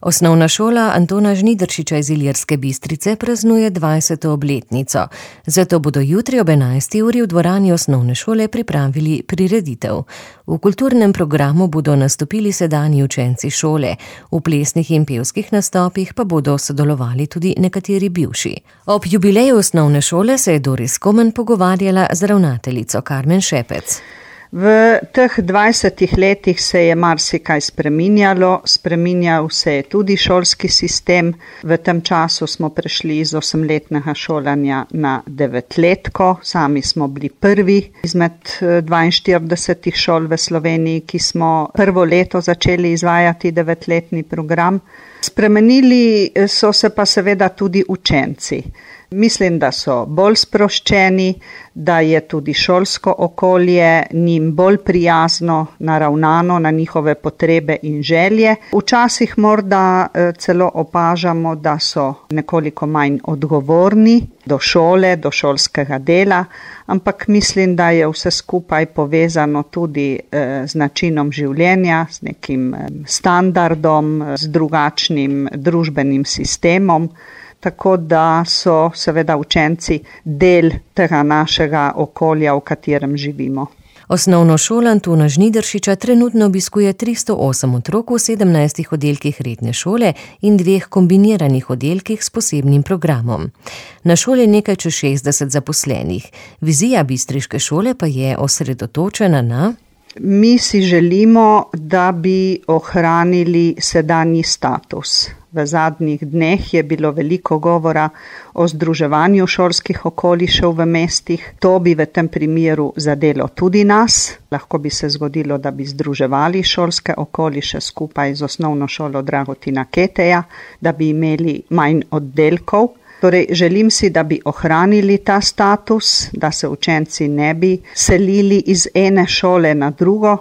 Osnovna šola Antona Žnidaršiča iz Ilirske Bistrice praznuje 20. obletnico. Zato bodo jutri ob 11. uri v dvorani osnovne šole pripravili prireditev. V kulturnem programu bodo nastopili sedanji učenci šole, v plesnih in pevskih nastopih pa bodo sodelovali tudi nekateri bivši. Ob jubileju osnovne šole se je Doris Komen pogovarjala z ravnateljico Karmen Šepec. V teh 20 letih se je marsikaj spreminjalo, spreminjal se je tudi šolski sistem. V tem času smo prešli iz 8-letnega šolanja na 9-letko. Sami smo bili prvi izmed 42 šol v Sloveniji, ki smo prvo leto začeli izvajati 9-letni program. Spremenili so se pa seveda tudi učenci. Mislim, da so bolj sproščeni, da je tudi šolsko okolje njim bolj prijazno, naravnano na njihove potrebe in želje. Včasih morda celo opažamo, da so nekoliko manj odgovorni do šole, do šolskega dela, ampak mislim, da je vse skupaj povezano tudi z načinom življenja, z nekim standardom, z drugačnim družbenim sistemom. Tako da so seveda učenci del tega našega okolja, v katerem živimo. Osnovno šolo Antona Žnidaršiča trenutno obiskuje 308 otrok v 17 oddelkih redne šole in 2 kombiniranih oddelkih s posebnim programom. Na šoli je nekaj čez 60 zaposlenih. Vizija bistriške šole pa je osredotočena na... Mi si želimo, da bi ohranili sedanji status. V zadnjih dneh je bilo veliko govora o združevanju šolskih okolišev v mestih. To bi v tem primeru zadelo tudi nas. Lahko bi se zgodilo, da bi združevali šolske okoliše skupaj z osnovno šolo Dragutina Keteja, da bi imeli manj oddelkov. Torej, želim si, da bi ohranili ta status, da se učenci ne bi selili iz ene šole na drugo,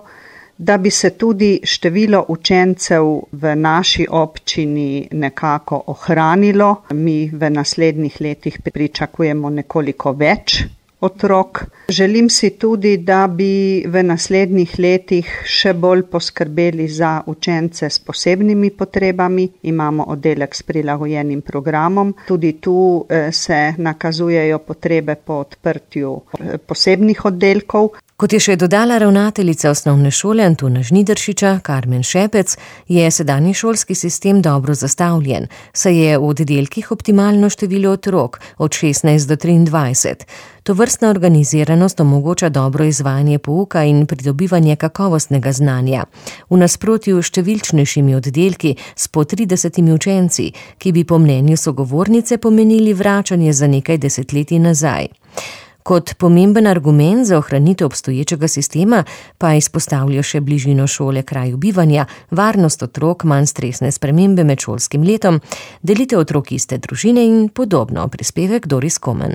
da bi se tudi število učencev v naši občini nekako ohranilo. Mi v naslednjih letih pričakujemo nekoliko več otrok. Želim si tudi, da bi v naslednjih letih še bolj poskrbeli za učence s posebnimi potrebami. Imamo oddelek s prilagojenim programom. Tudi tu se nakazujejo potrebe po odprtju posebnih oddelkov. Kot je še dodala ravnateljica osnovne šole Antona Žnidaršiča, Karmen Šepec, je sedanji šolski sistem dobro zastavljen, saj je v oddelkih optimalno število otrok od 16 do 23. Tovrstna organiziranost omogoča dobro izvajanje pouka in pridobivanje kakovostnega znanja. V nasprotju s številčnejšimi oddelki s po 30 učenci, ki bi po mnenju sogovornice pomenili vračanje za nekaj desetletij nazaj. Kot pomemben argument za ohranitev obstoječega sistema pa izpostavljajo še bližino šole kraju bivanja, varnost otrok, manj stresne spremembe med šolskim letom, delitev otrok iste družine in podobno, prispevek Doris Komen.